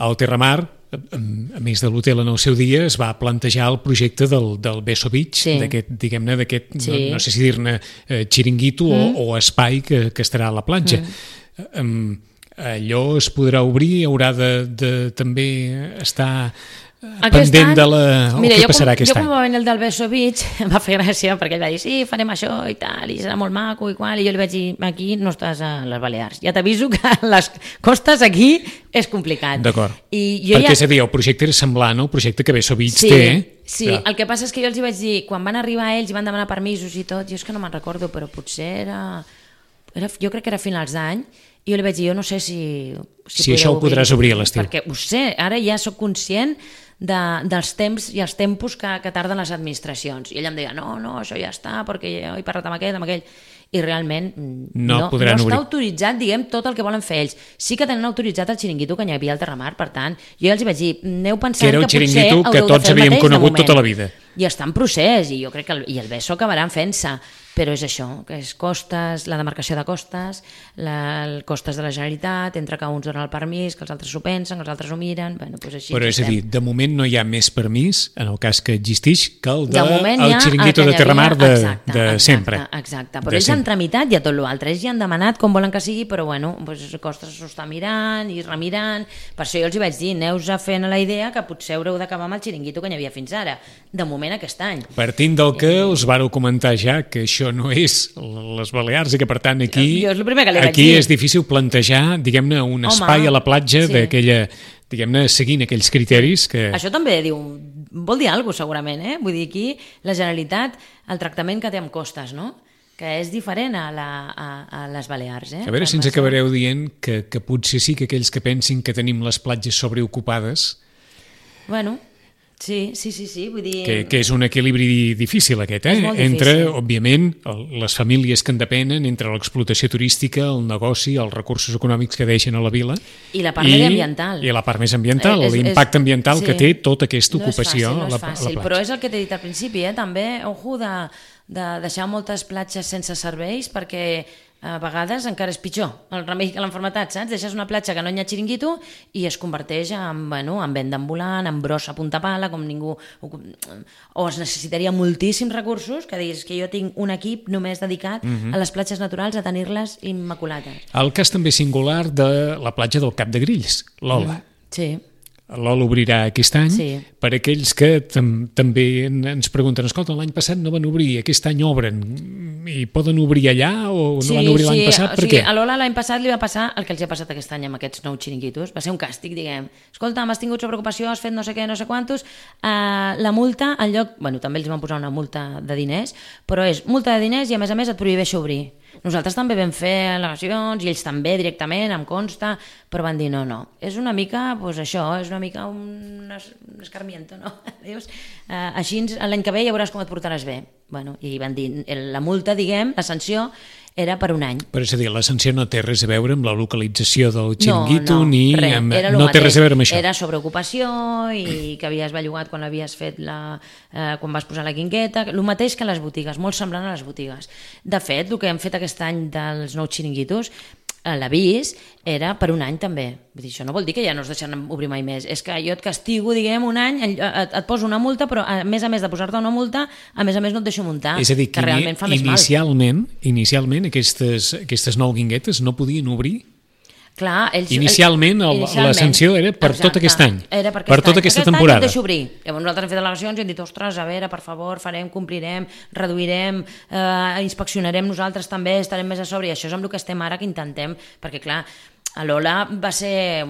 al Terramar, a més de l'hotel en el seu dia, es va plantejar el projecte del, del Beso Beach, sí. d'aquest, diguem-ne, d'aquest, sí. no, no sé si dir-ne eh, xiringuito mm. o, o espai que, que estarà a la platja. Mm. Um, allò es podrà obrir, haurà de, de també estar aquest pendent any, de la... O mira, què passarà com, aquest jo any? Jo com va venir el del Beso Beach em va fer gràcia perquè ell va dir sí, farem això i tal, i serà molt maco i qual, i jo li vaig dir, aquí no estàs a les Balears, ja t'aviso que les costes aquí és complicat. D'acord, I jo perquè ja... és a dir, el projecte era semblant al projecte que Beso Beach sí, té. Sí, ja. El que passa és que jo els hi vaig dir, quan van arribar ells i van demanar permisos i tot, jo és que no me'n recordo, però potser era... era, jo crec que era a finals d'any, i jo li vaig dir, jo no sé si... Si, si això ho podràs obrir a l'estiu. Perquè ho sé, ara ja sóc conscient de, dels temps i els tempos que, que tarden les administracions. I ella em deia, no, no, això ja està, perquè jo he parlat amb aquest, amb aquell... I realment no, no, no no està obrir. autoritzat, diguem, tot el que volen fer ells. Sí que tenen autoritzat el xiringuito que hi havia al Terramar, per tant, jo ja els vaig dir, aneu pensant que, que era un potser xiringuito que haureu de tots fer el havíem mateix de conegut moment. tota la vida. I està en procés, i jo crec que el, i el B E S O acabaran fent-se, però és això, que és costes, la demarcació de costes, la, el costes de la Generalitat, entre que uns donen el permís, que els altres s'ho pensen, que els altres ho miren, bueno, doncs així. Però és a dir, de moment no hi ha més permís, en el cas que existeix, que el de, de moment el ja xiringuito el de Terramar de, exacte, de exacte, sempre. Exacte, però de ells sempre. han tramitat ja tot l'altre, ells ja han demanat com volen que sigui, però bueno, doncs costes s'ho està mirant i remirant, per això jo els hi vaig dir, aneu ja fent la idea que potser haureu d'acabar amb el xiringuito que hi havia fins ara, de moment aquest any. Partint del que us vareu comentar ja, que això no és les Balears i que per tant aquí, jo és el primer que li vaig aquí dir. és difícil plantejar, diguem-ne, un Home, espai a la platja sí. d'aquella, diguem-ne, seguint aquells criteris que... Això també diu, vol dir alguna cosa segurament, eh? Vull dir, aquí la Generalitat, el tractament que té amb costes, no? Que és diferent a, la, a, a les Balears. Eh? A veure si ens acabareu dient que, que potser sí que aquells que pensin que tenim les platges sobreocupades... Bueno... Sí, sí, sí, sí, vull dir... Que, que és un equilibri difícil aquest, eh? És molt difícil. Entre, òbviament, el, les famílies que en depenen, entre l'explotació turística, el negoci, els recursos econòmics que deixen a la vila... I la part i, mediambiental. I la part més ambiental, és, l'impacte és, ambiental sí. que té tota aquesta ocupació no és fàcil, no és a, la, fàcil, a la platja. Però és el que t'he dit al principi, eh? També, ojo, de, de deixar moltes platges sense serveis, perquè a vegades encara és pitjor el remei que l'enfermetat, saps? Deixes una platja que no hi ha xiringuito i es converteix en, bueno, en venda ambulant, en brossa a punta pala, com ningú... O es necessitaria moltíssims recursos, que diguis que jo tinc un equip només dedicat uh-huh. a les platges naturals, a tenir-les immaculades. El cas també singular de la platja del Cap de Grills, l'Ola. Mm, sí. L'Ola obrirà aquest any, sí. Per aquells que tam també ens pregunten, escolta, l'any passat no van obrir, aquest any obren, i poden obrir allà o no sí, van obrir sí. l'any passat? Per o sigui, què? A l'Ola l'any passat li va passar el que els ha passat aquest any amb aquests nous xiringuitos, va ser un càstig, diguem. Escolta, m'has tingut sobreocupació, has fet no sé què, no sé quantos, uh, la multa, en lloc... Bueno, també els van posar una multa de diners, però és multa de diners i a més a més et prohibeix obrir. Nosaltres també vam fer al·legacions i ells també directament, em consta, però van dir no, no. És una mica, doncs això, és una mica un, un escarmiento, no? Dius, uh, així l'any que ve ja veuràs com et portaràs bé. Bueno, i van dir, la multa, diguem, la sanció, era per un any. Però és a dir, la sanció no té res a veure amb la localització del xiringuito, no, no, ni res, amb... no té res a veure amb això. Era sobreocupació i que havies bellugat quan havies fet la... Eh, quan vas posar la guingueta, el mateix que les botigues, molt semblant a les botigues. De fet, el que hem fet aquest any dels nous xiringuitos, l'avís era per un any també. Vull dir, això no vol dir que ja no es deixaran obrir mai més. És que jo et castigo, diguem, un any, et, et poso una multa, però a més a més de posar-te una multa, a més a més no et deixo muntar. És a dir, que, que realment fa més inicialment, mal. Inicialment aquestes, aquestes nou guinguetes no podien obrir? Clar, ells, inicialment, el, inicialment la sanció era per exacte, tot aquest any, era per, aquest per tota any. aquesta aquest temporada. Any et deixo obrir. Llavors nosaltres hem fet al·legacions i hem dit, ostres, a veure, per favor, farem, complirem, reduirem, eh, inspeccionarem nosaltres també, estarem més a sobre, i això és amb el que estem ara, que intentem, perquè clar, a l'Ola va ser,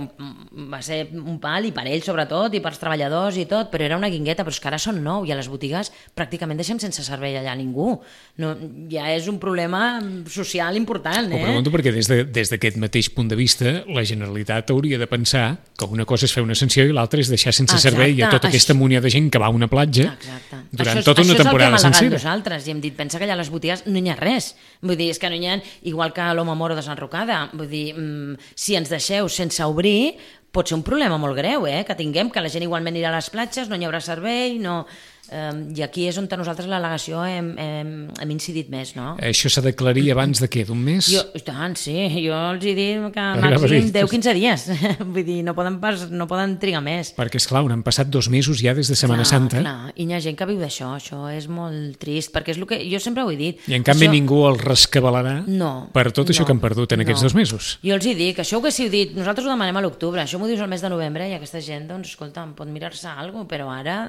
va ser un pal, i per ells sobretot, i per els treballadors i tot, però era una guingueta, però és que ara són nou, i a les botigues pràcticament deixem sense servei allà ningú. No, ja és un problema social important, eh? Ho pregunto perquè des d'aquest de, mateix punt de vista la Generalitat hauria de pensar que una cosa és fer una sanció i l'altra és deixar sense Exacte. servei a tota aquesta munió de gent que va a una platja Exacte. durant això, tota una temporada sencera. Això és el que hem al·legat nosaltres, i hem dit, pensa que allà a les botigues no hi ha res. Vull dir, és que no hi ha, igual que a l'Home Moro de Sant Rocada, vull dir, mmm, si ens deixeu sense obrir, pot ser un problema molt greu, eh? Que tinguem, que la gent igualment anirà a les platges, no hi haurà servei, no... Um, i aquí és on nosaltres l'al·legació hem, hem, hem incidit més, no? Això s'ha d'aclarir abans de què? D'un mes? Jo, tant, sí. Jo els he dit que màxim deu a quinze dies. Vull dir, no poden, pas, no poden trigar més. Perquè, esclar, han passat dos mesos ja des de Setmana clar, Santa. Clar, i hi ha gent que viu d'això. Això és molt trist, perquè és el que jo sempre ho he dit. I en canvi això... ningú els rescabalarà no, per tot això no, que han perdut en no. aquests dos mesos. Jo els hi dic, això ho haguéssiu dit, nosaltres ho demanem a l'octubre, això m'ho dius al mes de novembre i aquesta gent, doncs, escolta, pot mirar-se alguna cosa, però ara...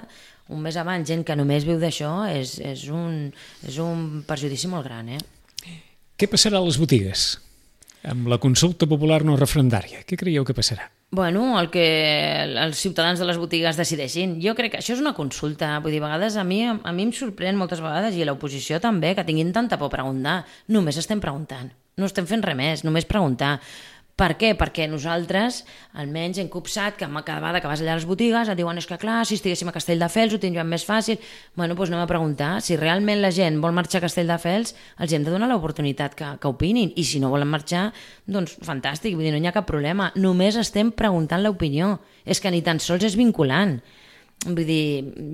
un mes abans, gent que només viu d'això, és, és, un, és un perjudici molt gran, eh? Què passarà a les botigues? Amb la consulta popular no referendària, què creieu que passarà? Bueno, el que els ciutadans de les botigues decideixin. Jo crec que això és una consulta. Vull dir, a vegades a mi, a mi em sorprèn moltes vegades, i a l'oposició també, que tinguin tanta por a preguntar. Només estem preguntant. no estem fent res més, només preguntar. Per què? Perquè nosaltres, almenys hem copsat que cada vegada que vas allà a les botigues et diuen és que clar, si estiguéssim a Castelldefels ho tindríem més fàcil. Bueno, doncs anem a preguntar. Si realment la gent vol marxar a Castelldefels, els hem de donar l'oportunitat que, que opinin. I si no volen marxar, doncs fantàstic, vull dir, no hi ha cap problema. Només estem preguntant l'opinió. És que ni tan sols és vinculant. Vull dir,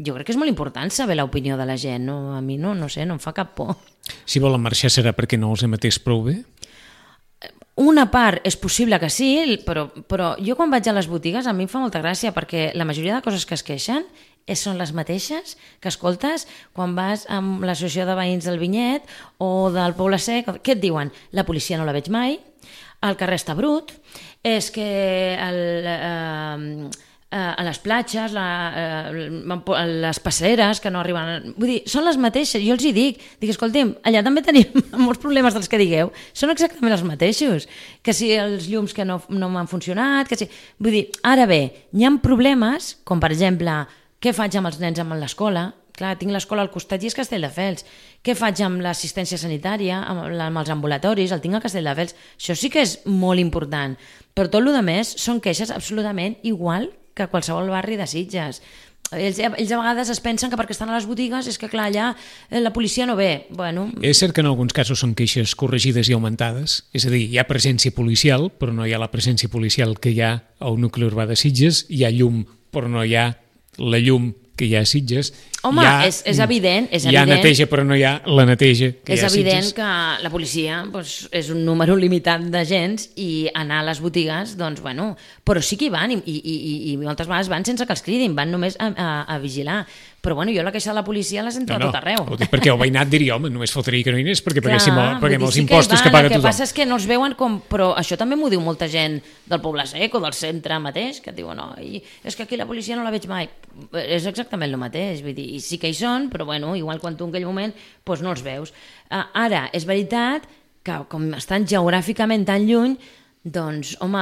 jo crec que és molt important saber l'opinió de la gent. No? A mi no, no sé, no em fa cap por. Si volen marxar serà perquè no els emetés prou bé? Una part és possible que sí, però, però jo quan vaig a les botigues a mi em fa molta gràcia perquè la majoria de coses que es queixen són les mateixes que escoltes quan vas amb l'associació de veïns del Vinyet o del Poble Sec. Què et diuen? La policia no la veig mai, el carrer està brut, és que el, eh, a les platges, la, les passeres que no arriben... Vull dir, són les mateixes, jo els hi dic, dic, escolti'm, allà també tenim molts problemes dels que digueu, són exactament els mateixos, que si els llums que no, no m'han funcionat, que si... Vull dir, ara bé, hi ha problemes, com per exemple, què faig amb els nens amb l'escola? Clar, tinc l'escola al costat i és Castelldefels. Què faig amb l'assistència sanitària, amb, amb els ambulatoris? El tinc a Castelldefels. Això sí que és molt important. Però tot el que més són queixes absolutament igual que qualsevol barri de Sitges. Ells, ells a vegades es pensen que perquè estan a les botigues és que clar, allà la policia no ve. Bueno... És cert que en alguns casos són queixes corregides i augmentades, és a dir, hi ha presència policial, però no hi ha la presència policial que hi ha al nucli urbà de Sitges, hi ha llum, però no hi ha la llum que hi ha a Sitges. Home, ha, és, és evident. És hi ha evident, neteja, però no hi ha la neteja que és hi ha a Sitges. És evident que la policia doncs, és un número limitat d'agents i anar a les botigues, doncs, bueno, però sí que hi van i, i, i, i moltes vegades van sense que els cridin, van només a, a, a vigilar. Però bueno, jo la queixa de la policia la sento no, no, a tot arreu. Ho dic perquè el veïnat diria, home, només fotria que no hi anés perquè Clar, paguéssim, paguem els sí impostos que, que paga tothom. El que tothom. passa és que no els veuen com... Però això també m'ho diu molta gent del Poble Sec o del centre mateix, que et diuen, no, i és que aquí la policia no la veig mai. És exactament el mateix, vull dir, i sí que hi són, però bueno, igual quan tu en aquell moment doncs no els veus. Ara, és veritat que com estan geogràficament tan lluny, doncs, home,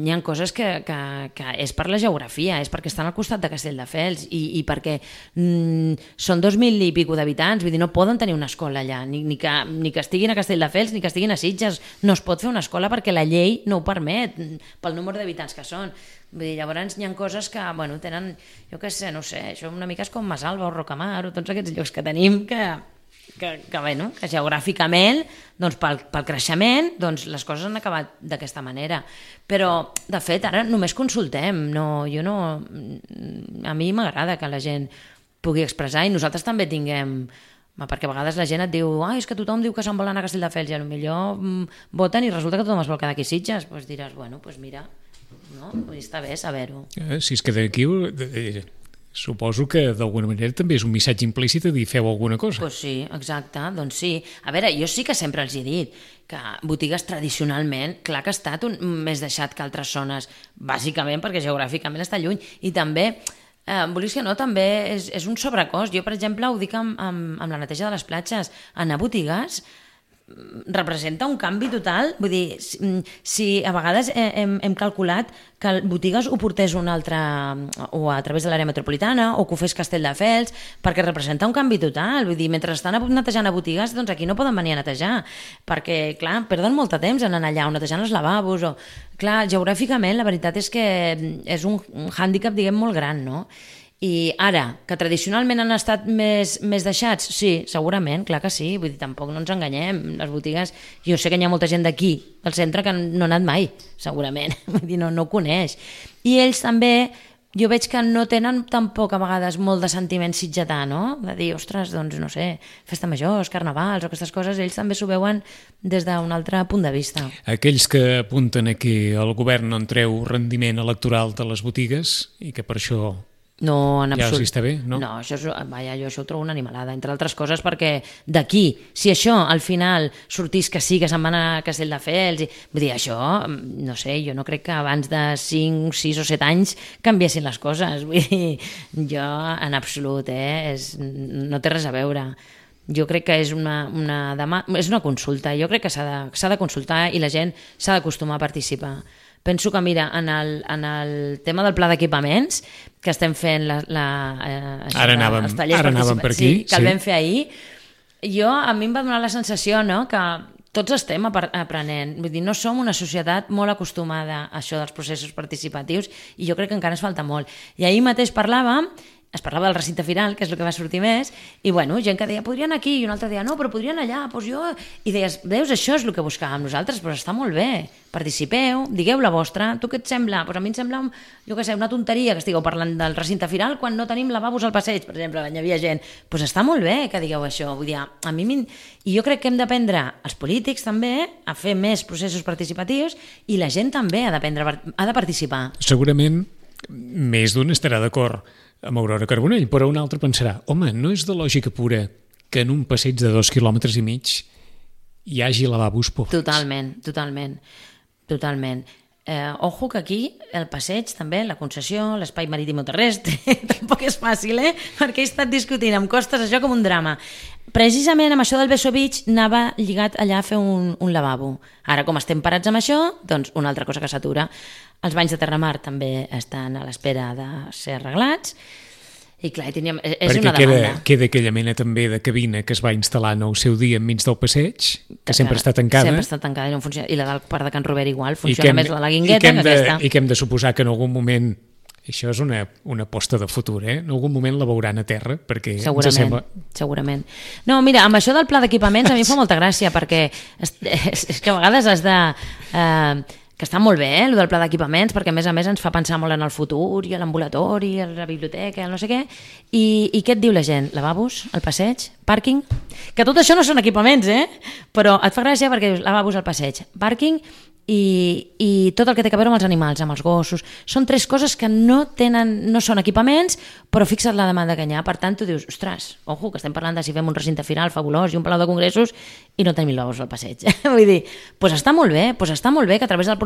hi ha coses que, que, que és per la geografia, és perquè estan al costat de Castelldefels i, i perquè mm, són dos mil i pico d'habitants, vull dir, no poden tenir una escola allà, ni, ni, que, ni que estiguin a Castelldefels ni que estiguin a Sitges, no es pot fer una escola perquè la llei no ho permet, pel número d'habitants que són. Vull dir, llavors hi ha coses que, bueno, tenen, jo què sé, no sé, això una mica és com Masalva o Rocamar o tots aquests llocs que tenim que... que, que, bueno, que geogràficament doncs pel, pel creixement doncs les coses han acabat d'aquesta manera, però de fet ara només consultem, no, jo no, a mi m'agrada que la gent pugui expressar i nosaltres també tinguem, perquè a vegades la gent et diu, ah, és que tothom diu que se'n vol anar a Castelldefels i potser voten i resulta que tothom es vol quedar aquí a Sitges, doncs diràs, bueno, doncs mira, no? Està bé saber-ho. Eh, si es queda aquí... Eh, suposo que d'alguna manera també és un missatge implícit de dir feu alguna cosa. Pues sí, exacte, doncs sí. A veure, jo sí que sempre els he dit que botigues tradicionalment, clar que ha estat un, més deixat que altres zones, bàsicament perquè geogràficament està lluny, i també, eh, vulguis que no, també és, és un sobrecost. Jo, per exemple, ho dic amb, amb, amb la neteja de les platges, anar a botigues representa un canvi total, vull dir, si, si a vegades hem, hem calculat que botigues ho portés un altre, o a través de l'àrea metropolitana, o que ho fes Castelldefels, perquè representa un canvi total, vull dir, mentre estan netejant a botigues, doncs aquí no poden venir a netejar, perquè, clar, perden molt de temps en anar allà, o netejant els lavabos, o... Clar, geogràficament, la veritat és que és un, un hàndicap, diguem, molt gran, no? I ara, que tradicionalment han estat més, més deixats? Sí, segurament, clar que sí, vull dir, tampoc no ens enganyem, les botigues, jo sé que hi ha molta gent d'aquí, del centre, que no ha anat mai, segurament, vull dir, no, no ho coneix. I ells també, jo veig que no tenen tampoc a vegades molt de sentiment sitgetà, no? De dir, ostres, doncs no sé, festa majors, carnavals o aquestes coses, ells també s'ho veuen des d'un altre punt de vista. Aquells que apunten a que el govern no en treu rendiment electoral de les botigues i que per això... No, en absolut. Ja els està bé, no? No, això és, vaja, jo això ho trobo una animalada, entre altres coses perquè d'aquí, si això al final sortís que sí, que se'n van a Castelldefels, i, vull dir, això, no sé, jo no crec que abans de cinc, sis o set anys canviessin les coses, vull dir, jo en absolut, eh, és, no té res a veure. Jo crec que és una, una, demà, és una consulta, jo crec que s'ha de, s'ha de consultar i la gent s'ha d'acostumar a participar. Penso que, mira, en el, en el tema del pla d'equipaments, que estem fent la, la, eh, això, ara anàvem, ara anàvem per aquí, sí, que el sí. vam fer ahir, jo, a mi em va donar la sensació, no?, que tots estem aprenent. Vull dir, no som una societat molt acostumada a això dels processos participatius i jo crec que encara ens falta molt. I ahir mateix parlàvem, es parlava del recinte final, que és el que va sortir més, i bueno, gent que deia, podrien aquí, i un altre deia, no, però podrien allà, doncs jo... I deies, veus, això és el que buscàvem nosaltres, però està molt bé, participeu, digueu la vostra, tu què et sembla? Doncs a mi em sembla, jo què sé, una tonteria que estigueu parlant del recinte final quan no tenim lavabos al passeig, per exemple, hi havia gent. Doncs està molt bé que digueu això, vull dir, a mi... I jo crec que hem d'aprendre, els polítics també, a fer més processos participatius i la gent també ha d'aprendre, ha de participar. Segurament més d'un estarà d'acord amb Aurora Carbonell, però un altre pensarà, home, no és de lògica pura que en un passeig de dos quilòmetres i mig hi hagi lavabos públics. Totalment, totalment, totalment. Eh, ojo que aquí el passeig també, la concessió, l'espai marítim o terrestre, tampoc és fàcil, eh? Perquè he estat discutint amb costes això com un drama. Precisament amb això del Beso Beach anava lligat allà a fer un, un lavabo. Ara, com estem parats amb això, doncs una altra cosa que s'atura. Els banys de Terramar també estan a l'espera de ser arreglats i clar, teníem, és perquè una demanda. Perquè queda aquella mena també de cabina que es va instal·lar en el seu dia enmig del passeig, que sempre està tancada. Sempre està tancada i no funciona. I la del Parc de Can Robert igual, funciona més la Guingueta que, que de, aquesta. I que hem de suposar que en algun moment, això és una, una aposta de futur, eh? En algun moment la veuran a terra, perquè segurament, ens sembla... Segurament. No, mira, amb això del pla d'equipaments a mi em fa molta gràcia, perquè és, és, és que a vegades has de... Eh, que està molt bé, eh, el del pla d'equipaments, perquè a més a més ens fa pensar molt en el futur i a l'ambulatori, a la biblioteca, el no sé què. I, I què et diu la gent? Lavabos, el passeig, pàrquing? Que tot això no són equipaments, eh? Però et fa gràcia perquè dius lavabos al passeig, pàrquing i, i tot el que té a veure amb els animals, amb els gossos. Són tres coses que no tenen, no són equipaments, però fixa't la demanda que hi ha. Per tant, tu dius, ostres, ojo, que estem parlant de si fem un recinte final fabulós i un palau de congressos i no tenim lavabos al passeig. Vull dir, doncs està molt bé, doncs està molt bé que a través del,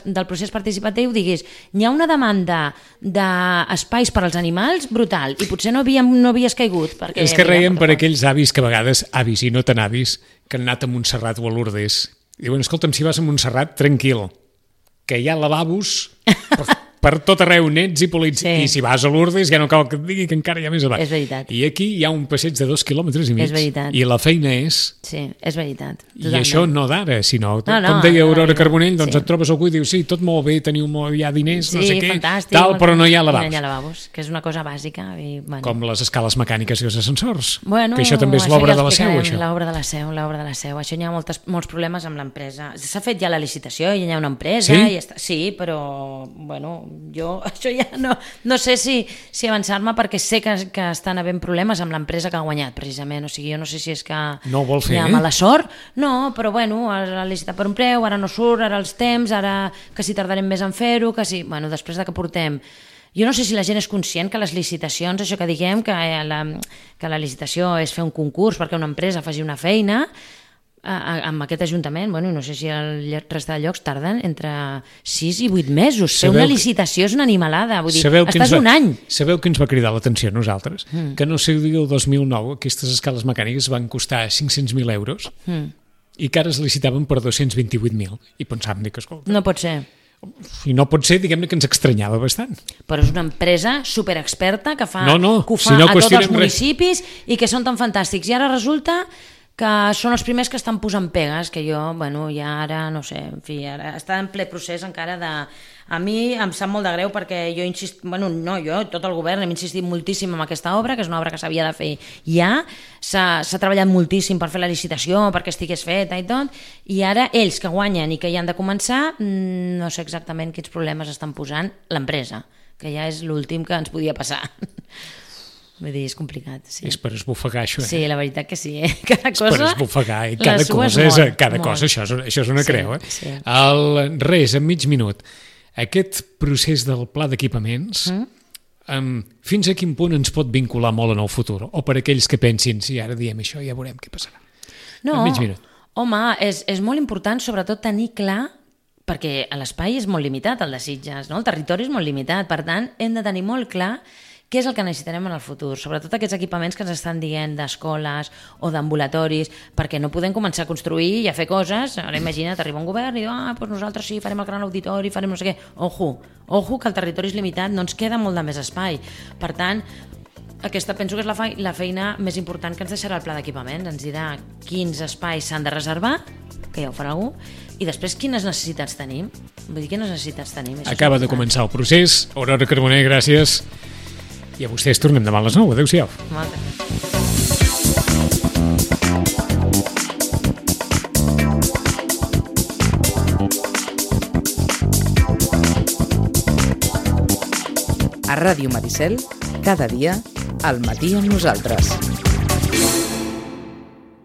del procés participatiu diguis, hi ha una demanda d'espais per als animals brutal i potser no, havíem, no havies caigut. Perquè, és que reiem per aquells avis que a vegades, avis i no tan avis, que han anat a Montserrat o a Lourdes. Diuen, escolta'm, si vas a Montserrat, tranquil, que hi ha lavabos per, per tot arreu, nets i polits, sí. I si vas a Lourdes ja no cal que et digui que encara hi ha més a baix. És veritat. I aquí hi ha un passeig de dos quilòmetres i mig. És veritat. I la feina és... Sí, és veritat. Totalment. I això no d'ara, sinó, no, no, com deia Aurora Carbonell, doncs sí. Et trobes algú i dius, sí, tot molt bé, teniu molt, hi ha diners, sí, no sé què, fantàstic, tal, però no hi ha lavabos. No hi ha lavabos, que és una cosa bàsica. I, bueno. Com les escales mecàniques i els ascensors, bueno, que això també és l'obra ja de la seu, això. L'obra de la seu, l'obra de la seu. Això hi ha moltes, molts problemes amb l'empresa. S'ha fet ja la licitació, ja hi ha una empresa, sí, i està, sí, però bueno, jo això ja no, no sé si, si avançar-me perquè sé que, que estan havent problemes amb l'empresa que ha guanyat, precisament. O sigui, jo no sé si és que no ho vol fer, hi ha eh? mala sort, no, però bueno, ha licitat per un preu, ara no surt, ara els temps, ara que si tardarem més en fer-ho, que si... Bueno, després de que portem... Jo no sé si la gent és conscient que les licitacions, això que diguem, que la, que la licitació és fer un concurs perquè una empresa faci una feina, amb aquest ajuntament, bueno, no sé si el resta de llocs tarden entre sis i vuit mesos. Fer una licitació és una animalada, vull dir, estàs un any. Sabeu que ens va cridar l'atenció a nosaltres? Mm. Que no sé, el dos mil nou aquestes escales mecàniques van costar cinc-cents mil euros mm. i que ara es licitaven per dos-cents vint-i-vuit mil. I pensàvem que, escolta... No pot ser. I no pot ser, diguem-ne, que ens estranyava bastant. Però és una empresa superexperta que fa, no, no, que ho fa si no a tots els municipis res. I que són tan fantàstics. I ara resulta que són els primers que estan posant pegues, que jo, bueno, ja ara, no sé, en fi, ara està en ple procés encara de... A mi em sap molt de greu perquè jo insist... Bueno, no, jo, tot el govern hem insistit moltíssim en aquesta obra, que és una obra que s'havia de fer ja, s'ha treballat moltíssim per fer la licitació, perquè estigués feta i tot, i ara ells que guanyen i que ja han de començar, no sé exactament quins problemes estan posant l'empresa, que ja és l'últim que ens podia passar. Vull dir, és complicat, sí. És per esbufegar, això, eh? Sí, la veritat que sí, eh? Cada cosa... És per esbufegar, i cada cosa és... Molt, cada molt. cosa, això és, això és una sí, creu, eh? Sí. El, res, en mig minut. Aquest procés del pla d'equipaments, mm? um, fins a quin punt ens pot vincular molt en el futur? O per aquells que pensin, si ara diem això, ja veurem què passarà. No, en mig minut. Home, és, és molt important, sobretot, tenir clar, perquè l'espai és molt limitat, el de Sitges, no? El territori és molt limitat, per tant, hem de tenir molt clar què és el que necessitarem en el futur, sobretot aquests equipaments que ens estan dient d'escoles o d'ambulatoris, perquè no podem començar a construir i a fer coses. Ara imagina't, arriba un govern i diu, ah, doncs nosaltres sí, farem el gran auditori, farem no sé què. Ojo, ojo, que el territori és limitat, no ens queda molt de més espai. Per tant, aquesta penso que és la, fe la feina més important que ens deixarà el pla d'equipaments. Ens dirà quins espais s'han de reservar, que ja ho farà algú, i després quines necessitats tenim? Vull dir, quines necessitats tenim? Això Acaba de començar el procés. Aurora Carboner, gràcies. I a vostès tornem demà a les nou. Adéu-siau. Moltes gràcies. A Ràdio Maricel, cada dia, al matí amb nosaltres.